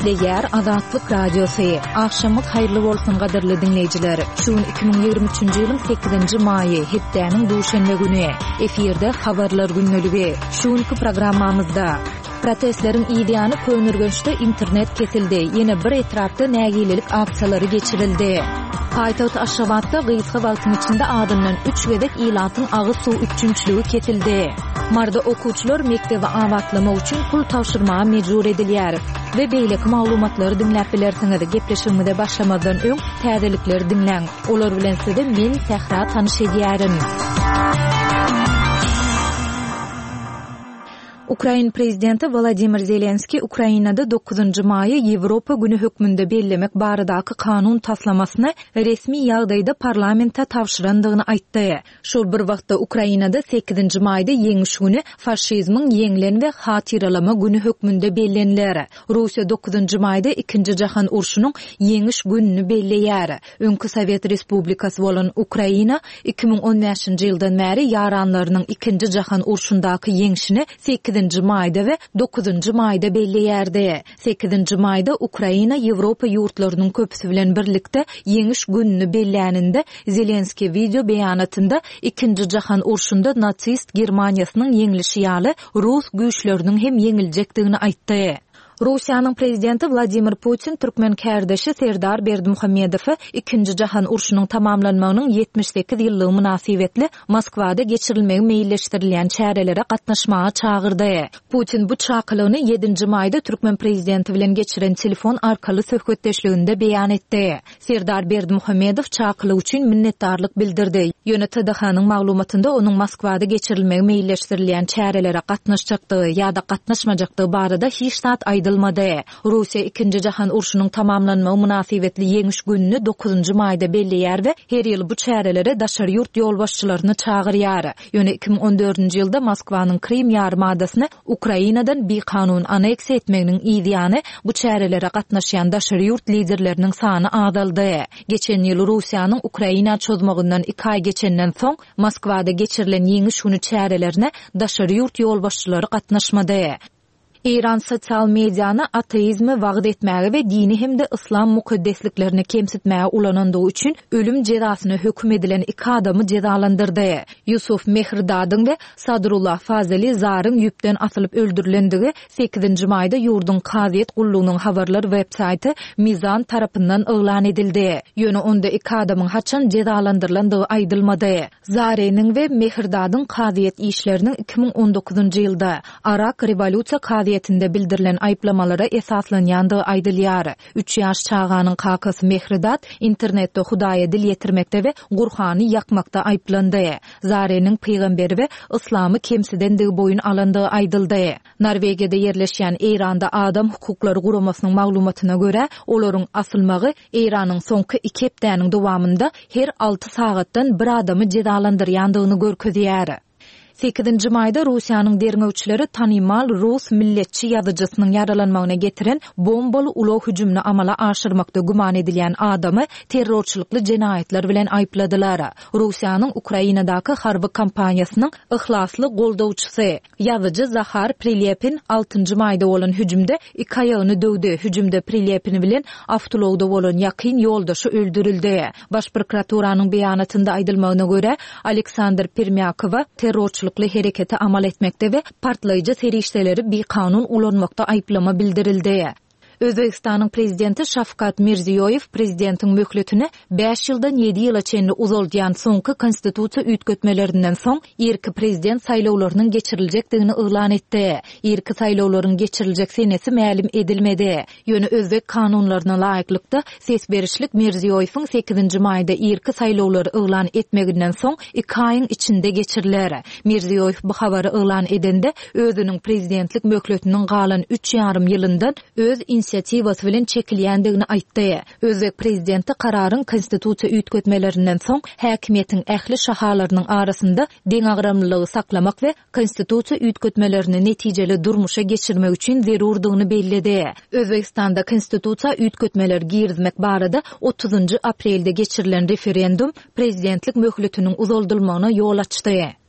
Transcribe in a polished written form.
Gepleýär Azatlyk Radiosy. Agşamyňyz haýyrly bolsun gadyrly diňleýjiler. Şu gün 2023-nji ýylyň 8-nji maýy, hepdäniň duşenbe güni. Efirde Habarlar gündeligi. Şu günki programmamyzda Protestleriň yzýany Köneürgençde internet kesildi, ýene bir etrapda nägilelik aksiýalary geçirildi. Paýtagt Aşgabatda gysga wagtyň içinde azyndan üç gezek ilatyň agyz suw üpjünçiligi kesildi. Maryda okuwçylar mekdebi abatlamak üçin pul tabşyrmaga mejbur edilýär we beýleki maglumatlary diňläp bilersiňiz. Gepleşigimize başlamazdan öň täzelikleri diňläň. Olar bilen sizi men Sähra tanyş edýärin. Ukrain prezidenti Wolodymyr Zelenskiý Ukrainada dokuzynjy maýy Ýewropa güni hökmünde bellemek baradaky kanun taslamasyny resmi ýagdaýda parlamente tabşyrandygyny aýtdy. Şol bir wagtda Ukrainada sekizinji maýda Ýeňiş güni faşizmiň ýeňlen we hatyralama güni hökmünde belleniler. Russiýa dokuzynjy maýda Ikinji jahan urşunyň Ýeňiş gününi belleýär. Öňki sowet respublikasy bolan Ukraina 2015-nji ýyldan bäri ýaranlarynyň Ikinji jahan urşundaky ýeňşini sekizinji maýda we dokuzynjy maýda belleýärdi. Sekizinji maýda Ukraina Ýewropa ýurtlarynyň köpüsi bilen birlikde Ýeňiş gününi belläninde, Zelenskiý wideo beýanatynda Ikinji jahan urşunda nasist Germaniýasynyň ýeňlişi ýaly rus güýçleriniň hem ýeňiljekdigini aýtdy. Russiýanyň Prezidenti Wladimir Putin türkmen kärdeşi Serdar Berdimuhamedowy Ikinji jahan urşunyň tamamlanmagynyň 78 ýyllygy mynasybetli Moskwada geçirilmegi meýilleşdirilýän çärelere gatnaşmaga çagyrdy. Putin bu çakylygyny ýedinji maýda türkmen prezidenti bilen geçiren telefon arkaly söhbetdeşliginde beýan etdi. Serdar Berdimuhamedow çakylyk üçin minnetdarlyk bildirdi, ýöne TDH-nyň maglumatynda onuň Moskwada geçirilmegi meýilleşdirilýän çärelere gatnaşjakdygy ýa-da gatnaşmajakdygy barada hiç zat aýdylmady. Russiýa Ikinji jahan urşunyň tamamlanmagy mynasybetli Ýeňiş gününi dokuzynjy maýda belleýär we her ýyl bu çärelere daşary ýurt ýolbaşçylaryny çagyrýar. Ýöne 2014-nji ýylda Moskwanyň Krym ýarymadasyny Ukrainadan bikanun aneksiýa etmeginiň yz ýany, bu çärelere gatnaşýan daşary ýurt liderleriniň sany azaldy. Geçen ýyl Russiýanyň Ukraina çozmagyndan iki aý geçenden soň, Moskwada geçirilen Ýeňiş güni çärelerine daşary ýurt ýolbaşçylary gatnaşmady. Eýran sosial mediany ateizmi wagyz etmäge we dini hem-de yslam mukaddesliklerini kemsitmäge ulanandygy üçin ölüm jezasyna höküm edilen iki adamy jezalandyrdy. Ýusuf Mehridadyň we Sadrullah Fazeli Zaryň ýüpden asylyp öldürilendigi sekizinji maýda ýurduň kazyýet gullugynyň habarlar websaýty Mizan tarapyndan yglan edildi. Ýöne onda iki adamyň haçan jezalandyrylandygy aýdylmady. Zareniň we Mehridadyň kazyýet işleriniň 2019-njy ýylda Arak rewolýusiýa kazyýetinde bildirilen aýyplamalara esaslanýandygy aýdylýar. Üç ýaş çaganyň kakasy Mehridat internetde Hudaýa dil ýetirmekde we Gurhany ýakmakda aýyplandy. Zareniň pygamberi we yslamy kemsidendigi boýun alandygy aýdyldy. Norwegiýada ýerleşýän Eýranda adam hukuklary guramasynyň maglumatyna görä, olaryň asylmagy Eýranyň soňky iki hepdäniň dowamynda her alty sagatdan bir adamy jezalandyrýandygyny görkezýär. Sekizinji maýda Russiýanyň derňewçileri tanymal rus milletçi ýazyjysynyň ýaralanmagyna getiren bombaly ulag hüjümini amala aşyrmakda güman edilýän adamy terrorçylykly jenaýatlar bilen aýypladylar. Russiýanyň Ukrainadaky harby kampaniýasynyň yhlasly goldawçysy, Ýazyjy Zahar Prilepin altynjy maýda bolan hüjümde iki aýagyny döwdi. Hüjümde Prilepin bilen awtoulagda bolan ýakyn ýoldaşy öldürildi. Baş prokuraturanyň beýanatynda aýdylmagyna görä, Aleksandr Permýakowa terrorçylykly hereketi amal etmekde we partlaýjy serişdeleri bikanun ulanmakda aýyplama bildirildi. Özbegistanyň Prezidenti Şawkat Mirziýoýew prezidentiň möhletini bäş ýyldan ýedi ýyla çenli uzaldýan soňky konstitusiýa üýtgetmelerinden soň irki prezident saýlawlarynyň geçiriljekdigini yglan etdi. Irki saýlawlaryň geçiriljek senesi mälim edilmedi. Ýöne özbek kanunlaryna laýyklykda, ses berişlik Mirziýoýewiň sekizinji maýda irki saýlawlary yglan etmeginden soň iki aýyň içinde geçiriler. Mirziýoýew bu habary yglan edende, özüniň prezidentlik möhletiniň galan üç ýarym ýylyndan öz inisiatiwasy bilen çekilýändigini aýtdy. Özbek prezidenti kararyň konstitusiýa üýtgetmelerinden soň häkimiýetiň ähli şahalarynyň arasynda deňagramlylygy saklamak we konstitusiýa üýtgetmelerini netijeli durmuşa geçirmek üçin zerurdygyny belledi. Özbegistanda konstitusiýa üýtgetmeler girizmek barada otuzynjy aprelde geçirilen referendum prezidentlik möhletiniň uzaldylmagyna ýol açdy.